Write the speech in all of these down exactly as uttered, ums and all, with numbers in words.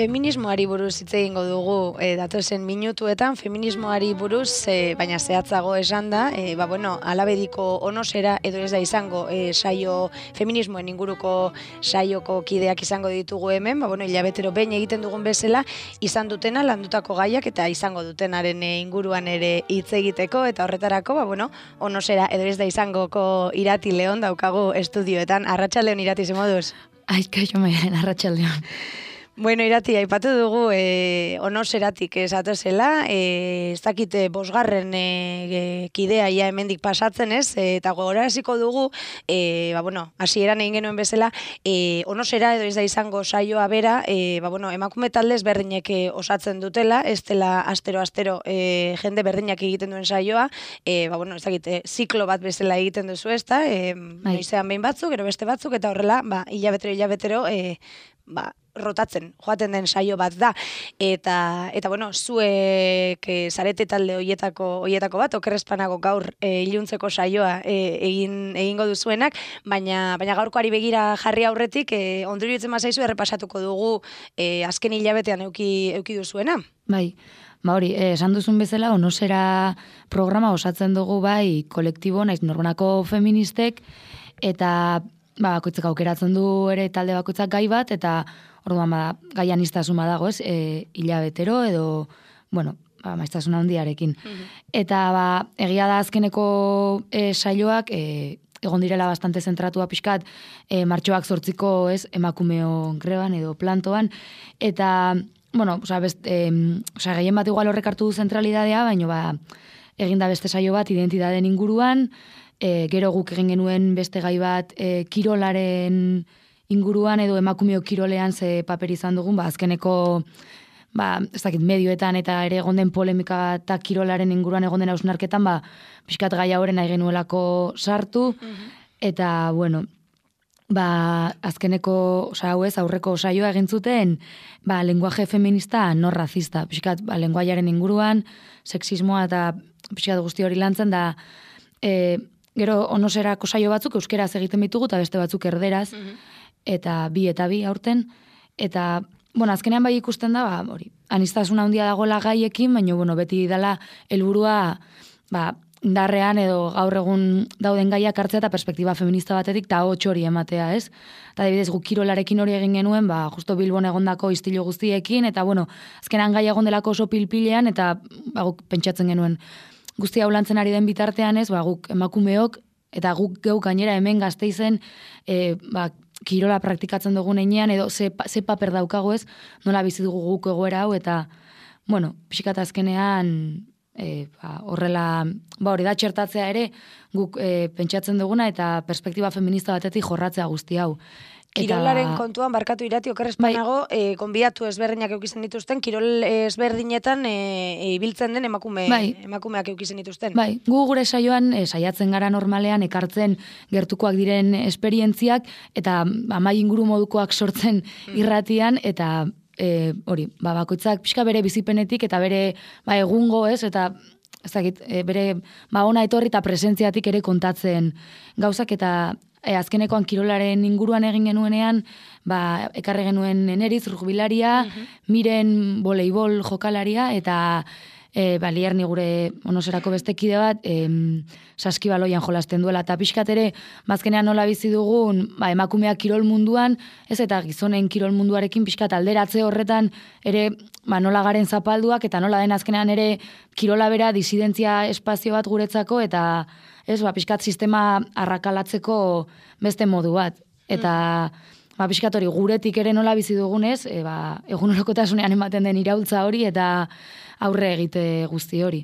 Feminismoari buruz hitz egingo dugu e, datozen minutuetan, feminismoari buruz, e, baina zehatzago esan da, e, ba, bueno, alabediko onosera edo ez da izango e, saio feminismoen inguruko saioko kideak izango ditugu hemen, ba, bueno, hilabetero behin egiten dugun bezala, izan dutena landutako gaiak eta izango dutenaren e, inguruan ere hitz egiteko, eta horretarako, ba, bueno, onosera edo ez da izangoko Irati Leon daukagu estudioetan. Arratsaldeon, Irati, ze moduz? Ai, kaixo maian, arratsaldeon. Bueno, Irati, aipatu dugu e, onoseratik esatozela, e, ez dakite bosgarren e, kidea ia hemendik pasatzen ez, e, eta gogoraziko dugu, e, ba, bueno, hasieran egin genuen bezala, e, onosera edo ez da izango saioa bera, e, ba, bueno, emakume talde ezberdinek e, osatzen dutela, ez dela astero-astero e, jende berdinak egiten duen saioa, e, ba, bueno, ez dakite, ziklo bat bezala egiten duzu ez da, e, noizean behin batzuk, gero beste batzuk, eta horrela, ba, hilabetero, hilabetero, e, ba, rotatzen, joaten den saio bat da. Eta, eta bueno, zuek e, zarete talde hoietako hoietako bat, okerrezpanago gaur e, iluntzeko saioa e, egin egingo duzuenak, baina baina gaurkoari begira jarri aurretik, e, ondoriutzen bazaizu errepasatuko dugu e, azken hilabetean euki, euki duzuena. Bai, ba hori, eh, esan duzun bezala, onosera programa osatzen dugu bai kolektibo, naiz norbanako feministek, eta ba, bakoitzak aukeratzen du ere talde bakoitzak gai bat, eta orduan ba, gaian iztasuna dago, ez, e, hilabetero edo, bueno, ba, maiztasuna handiarekin. Mm-hmm. Eta ba, egia da azkeneko e, saioak, e, egon direla bastante zentratua pixkat, e, martxoak zortziko, ez, emakumeo greban edo plantoan, eta, bueno, oza, best, e, oza, gehien bat igual horrek hartu du zentralidadea, baina ba, eginda beste saio bat identitateen inguruan, e, gero guk egin genuen beste gai bat e, kirolaren inguruan edo emakumeo kirolean ze paper izan dugun, ba, azkeneko ba, ez dakit, medioetan eta ere egon den polemika eta kirolaren inguruan egon den hausnarketan, ba, pixkat gai hauren nahi genuelako sartu, mm-hmm. eta, bueno, ba, azkeneko, oza, hau ez, aurreko saioa egin zuten, ba, lenguaje feminista no racista, pixkat, ba, lenguaiaren inguruan, sexismoa eta pixkat guzti hori lantzen da, e, gero onoserako saio batzuk euskeraz egiten ditugu eta beste batzuk erderaz, mm-hmm. eta bi eta bi aurten, eta, bueno, azkenean bai ikusten da, ba, hori, aniztasuna handia dagoela gaiekin, baina, bueno, beti dela helburua, ba, indarrean edo gaur egun dauden gaiak hartzea eta perspektiba feminista batetik, eta hots hori ematea, ez? Eta adibidez, guk kirolarekin hori egin genuen, ba, justo Bilbon egondako istilo guztiekin, eta, bueno, azkenean gai egon delako oso pilpilean, eta, ba, guk pentsatzen genuen, guztia ulantzen ari den bitartean, ez, ba, guk emakumeok, eta guk geuk gainera hemen Gasteizen, e, ba, kirola praktikatzen dugun einean, edo ze, ze paper daukago ez, nola bizi dugu guk egoera hau, eta, bueno, pixkat azkenean, e, ba, horrela, ba, hori da txertatzea ere, guk e, pentsatzen duguna, eta perspektiba feminista batetik jorratzea guzti hau. Kirolaren eta... kontuan, barkatu Irati, okerrezpanago, bai. e, konbiatu ezberdinak eukizen dituzten, kirol ezberdinetan e, ibiltzen den emakume, bai. emakumeak eukizen dituzten. Bai, gu gure saioan e, saiatzen gara normalean ekartzen gertukoak diren esperientziak, eta amai inguru modukoak sortzen mm. irratian, eta e, hori, ba, bakoitzak pixka bere bizipenetik, eta bere ba, egungo ez, eta ez dakit, e, bere ba, ona etorri eta presentziatik ere kontatzen gauzak, eta E, azkenekoan kirolaren inguruan egin genuenean, ba, ekarri genuen Eneriz, rugbilaria, uh-huh. Miren voleibol jokalaria, eta e, ba, Lierni gure onoserako beste kide bat, e, saskibaloian jolasten duela, eta pixkat ere, bazkenean nola bizi dugun, ba, emakumeak kirol munduan, ez eta gizonen kirol munduarekin pixkat alderatze horretan, ere ba, nola garen zapalduak, eta nola den azkenean ere kirola bera disidentzia espazio bat guretzako, eta ez, ba, pixkat sistema arrakalatzeko beste modu bat. Eta, mm. ba, pixkat hori guretik ere nola bizi dugunez, e, ba, egunerokotasunean ematen den iraultza hori, eta aurre egite guzti hori.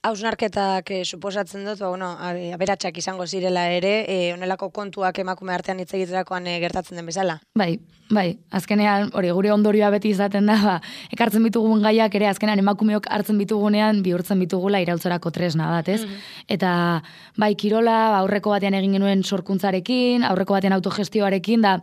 Hausnarketak eh, suposatzen dut, ba, bueno, aberatsak izango zirela ere, eh, onelako kontuak emakume artean hitz egiterakoan eh, gertatzen den bezala. Bai, bai, azkenean, hori, gure ondorioa beti izaten da, ba, ekartzen bitugun gaiak ere, azkenean emakumeok hartzen bitugunean, bihurtzen bitugula iraultzarako tresna bat, ez? Eta, bai, kirola, aurreko batean egin genuen sorkuntzarekin, aurreko batean autogestioarekin, da,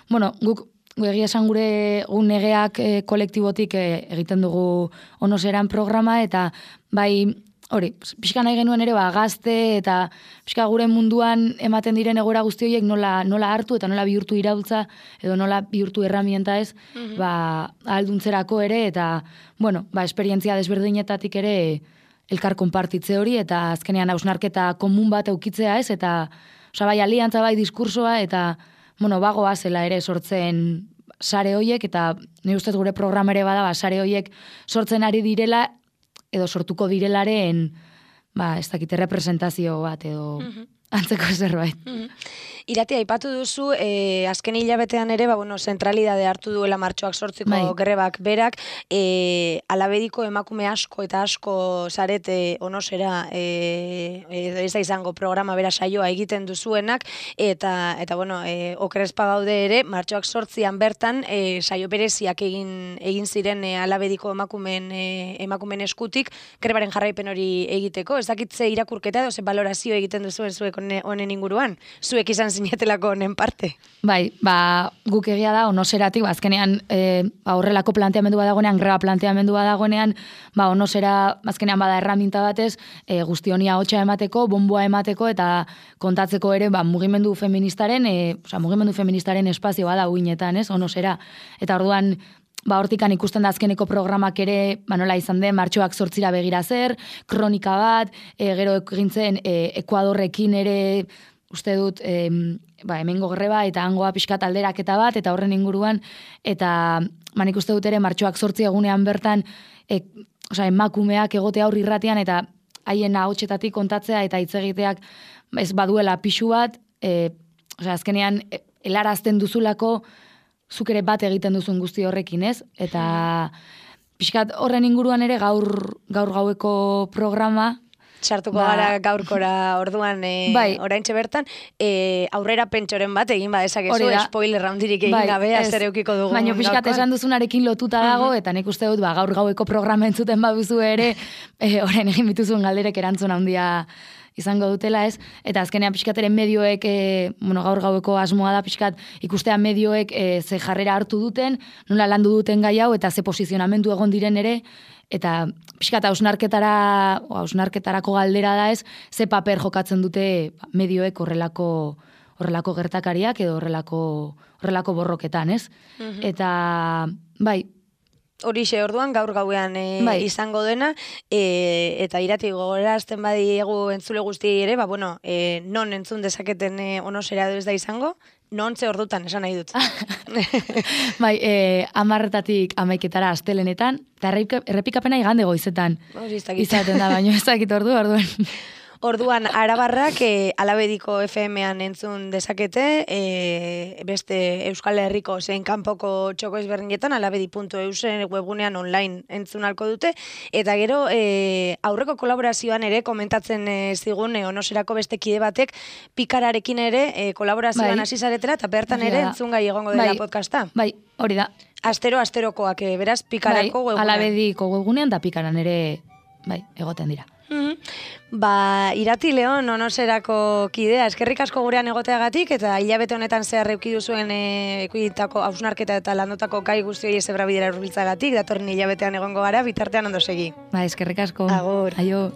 bueno, guk, egia esan gure gun negeak e, kolektibotik e, egiten dugu onoseran programa, eta bai, hori, pixka nahi genuen ere, ba, gazte, eta pixka gure munduan ematen diren egoera guzti horiek nola, nola hartu, eta nola bihurtu iraultza, edo nola bihurtu erramienta ez, mm-hmm. ba, ahalduntzerako ere, eta, bueno, ba, esperientzia desberdinetatik ere elkar konpartitze hori, eta azkenean hausnarketa komun bat eukitzea ez, eta, oza, bai, aliantza, bai, diskursoa, eta, bueno, bagoa zela ere sortzen sare hoiek, eta ni ustez gure programa ere bada, ba, sare hoiek sortzen ari direla, edo sortuko direlaren, ba, ez dakite representazio bat, edo mm-hmm. antzeko zerbait. Mm-hmm. Irati, aipatu duzu, eh, azken hilabetean ere, ba, bueno, zentralidade hartu duela martxoak sortziko bai. Grebak berak, eh, alabediko emakume asko eta asko zarete onosera, eh, ez da izango programa bera saioa egiten duzuenak, eta, eta bueno, eh, okerespa gaude ere, martxoak sortzian bertan, eh, saio bereziak egin, egin ziren eh, alabediko emakumen, eh, emakumen eskutik, grebaren jarraipen hori egiteko, ez dakitze irakurketa edo ze balorazio egiten duzuen zuek honen inguruan, zuek izan zinetelako honen parte. Bai, ba, guk egia da, onoseratik, ba, azkenean, e, ba, horrelako planteamendu badagoenean, greba planteamendu badagoenean, ba, onosera, azkenean bada erraminta batez, e, guzti honia hotxa emateko, bonboa emateko, eta kontatzeko ere, ba, mugimendu feministaren, e, oza, mugimendu feministaren espazio bada uinetan, ez, onosera. Eta orduan, ba, hortikan ikusten da azkeneko programak ere, ba, nola izan den, martxoak sortzira begira zer, kronika bat, e, gero egintzen, e, Ekuadorrekin ere, uste dut, e, ba, hemengo greba eta hangoa pixkat alderaketa bat, eta horren inguruan, eta manik uste dut ere martxoak sortzi egunean bertan, e, oza, emakumeak egote aurri irratian, eta haien ahotsetatik kontatzea, eta hitz egiteak ez baduela pixu bat, e, oza, azkenean, e, helarazten duzulako, zuk ere bat egiten duzun guzti horrekin, ez? Eta pixkat horren inguruan ere gaur, gaur gaueko programa, sartuko ba, gara gaurkora orduan e, bai. Oraintxe bertan, e, aurrera pentsoren bat egin badezakezu, spoiler roundirik egin bai, gabe, azer eukiko dugu. Baina pixkat esan duzunarekin lotuta dago, uh-huh. eta nik uste dut, ba, gaur gaueko programa entzuten baduzu ere, e, orain egin bituzuen galderek erantzun handia izango dutela, ez? Eta azkenean pixkateren medioek, e, bueno, gaur gaueko asmoa da pixkat ikustean medioek e, ze jarrera hartu duten, nola landu duten gai hau, eta ze posizionamendu egon diren ere, eta pixkat hausnarketara, hausnarketarako galdera da ez, ze paper jokatzen dute medioek horrelako, horrelako gertakariak edo horrelako, horrelako borroketan, ez? Mm-hmm. Eta, bai, horixe orduan gaur gauean e, bai. Izango dena, e, eta Irati gogorazten badiegu entzule guztiei ere, ba, bueno, e, non entzun dezaketen e, onosera edo ez da izango, non ze ordutan, esan nahi dut. Bai, e, amarretatik amaiketara astelenetan, eta errepikapena igande goizetan. Izaten da, baino ez dakit ordu, orduan. Orduan, arabarrak e, alabediko F M-an entzun dezakete, e, beste Euskal Herriko zein kanpoko txoko ezberdinetan, alabedi puntu eus webgunean online entzun alko dute, eta gero e, aurreko kolaborazioan ere komentatzen e, zigun e, onoserako beste kide batek pikararekin ere e, kolaborazioan hasi bai. Zaretera, eta bertan ere ja. Entzun gai egongo dela bai. Podcasta. Bai, hori da. Astero, asterokoak, e, beraz, pikarako bai, webgunean. Alabediko webgunean, da pikaran ere bai, egoten dira. Mm-hmm. Ba, Irati Leon onoserako kidea, eskerrik asko gurean egoteagatik, eta hilabete honetan zehar euki duzuen ekuitako hausnarketa eta landotako gai guzti hori zebra bidera urbiltzagatik, datorren hilabetean egongo gara, bitartean ondo segi. Ba, eskerrik asko. Agur. Aio.